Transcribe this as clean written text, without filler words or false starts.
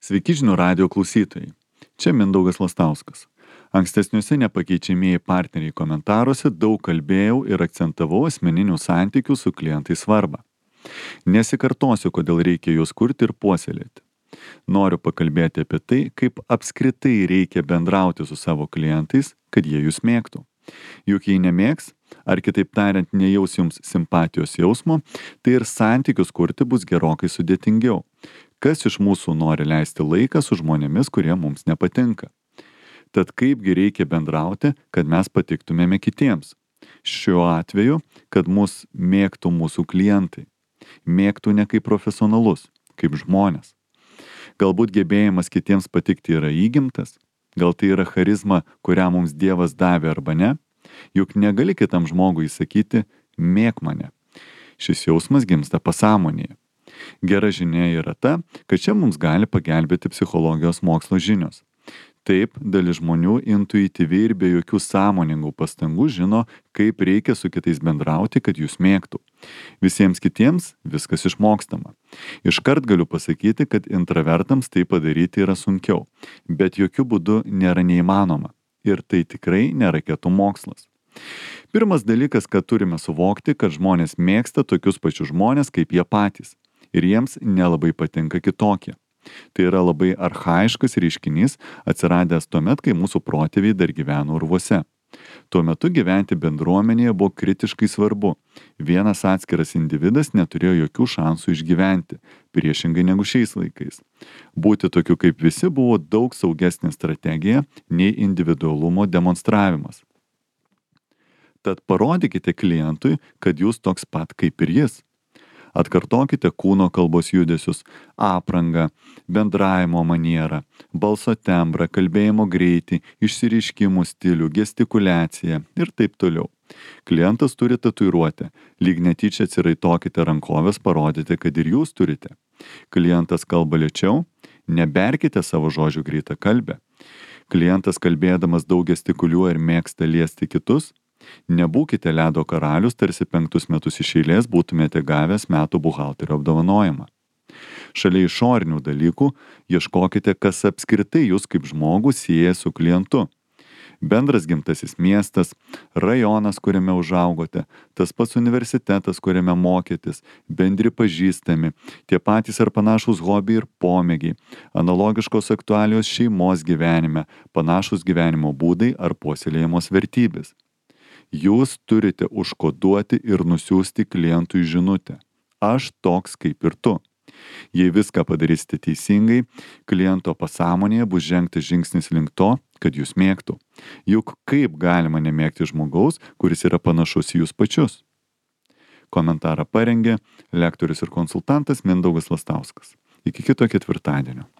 Sveiki žinių radijo klausytojai. Čia Mindaugas Lastauskas. Ankstesniuose nepakeičiamieji partneriai komentaruose daug kalbėjau ir akcentavau asmeninių santykių su klientais svarbą. Nesikartosiu, kodėl reikia juos kurti ir puoselėti. Noriu pakalbėti apie tai, kaip apskritai reikia bendrauti su savo klientais, kad jie jūs mėgtų. Juk jei nemėgs, ar kitaip tariant nejaus jums simpatijos jausmo, tai ir santykius kurti bus gerokai sudėtingiau. Kas iš mūsų nori leisti laiką su žmonėmis, kurie mums nepatinka? Tad kaipgi reikia bendrauti, kad mes patiktumėme kitiems? Šiuo atveju, kad mus mėgtų mūsų klientai. Mėgtų ne kaip profesionalus, kaip žmonės. Galbūt gebėjimas kitiems patikti yra įgimtas? Gal tai yra charizma, kurią mums Dievas davė arba ne? Juk negali kitam žmogui sakyti, mėk mane. Šis jausmas gimsta pasąmonėje. Gera žinia yra ta, kad čia mums gali pagelbėti psichologijos mokslo žinios. Taip, dalis žmonių intuityviai ir be jokių sąmoningų pastangų žino, kaip reikia su kitais bendrauti, kad jūs mėgtų. Visiems kitiems viskas išmokstama. Iškart galiu pasakyti, kad intravertams tai padaryti yra sunkiau, bet jokių būdų nėra neįmanoma. Ir tai tikrai nėra raketų mokslas. Pirmas dalykas, kad turime suvokti, kad žmonės mėgsta tokius pačius žmonės kaip jie patys. Ir jiems nelabai patinka kitokie. Tai yra labai archaiškas reiškinys, atsiradęs tuomet, kai mūsų protėviai dar gyveno urvuose. Tuo metu gyventi bendruomenėje buvo kritiškai svarbu. Vienas atskiras individas neturėjo jokių šansų išgyventi, priešingai negu šiais laikais. Būti tokiu kaip visi buvo daug saugesnė strategija nei individualumo demonstravimas. Tad parodykite klientui, kad jūs toks pat kaip ir jis. Atkartokite kūno kalbos judesius, aprangą, bendravimo manierą, balso tembrą, kalbėjimo greitį, išsireiškimų stilių, gestikuliaciją ir taip toliau. Klientas turi tatuiruotę, lyg netyčia atsiraitokite rankovės, parodyti, kad ir jūs turite. Klientas kalba lėčiau, neberkite savo žodžių greitą kalbę. Klientas kalbėdamas daug gestikuliuoja ir mėgsta liesti kitus. Nebūkite ledo karalius, tarsi 5 metus iš eilės būtumėte gavęs metų buhalterio apdovanojimą. Šalia išorinių dalykų ieškokite, kas apskritai jūs kaip žmogų sieja su klientu. Bendras gimtasis miestas, rajonas, kuriame užaugote, tas pats universitetas, kuriame mokėtės, bendri pažįstami, tie patys ar panašus hobiai ir pomėgiai, analogiškos aktualijos šeimos gyvenime, panašus gyvenimo būdai ar puoselėjamos vertybės. Jūs turite užkoduoti ir nusiųsti klientui žinutę. Aš toks kaip ir tu. Jei viską padarysite teisingai, kliento pasąmonėje bus žengtas žingsnis link to, kad jūs mėgtų. Juk kaip galima nemėgti žmogaus, kuris yra panašus į jūs pačius? Komentarą parengė lektorius ir konsultantas Mindaugas Lastauskas. Iki kito ketvirtadienio.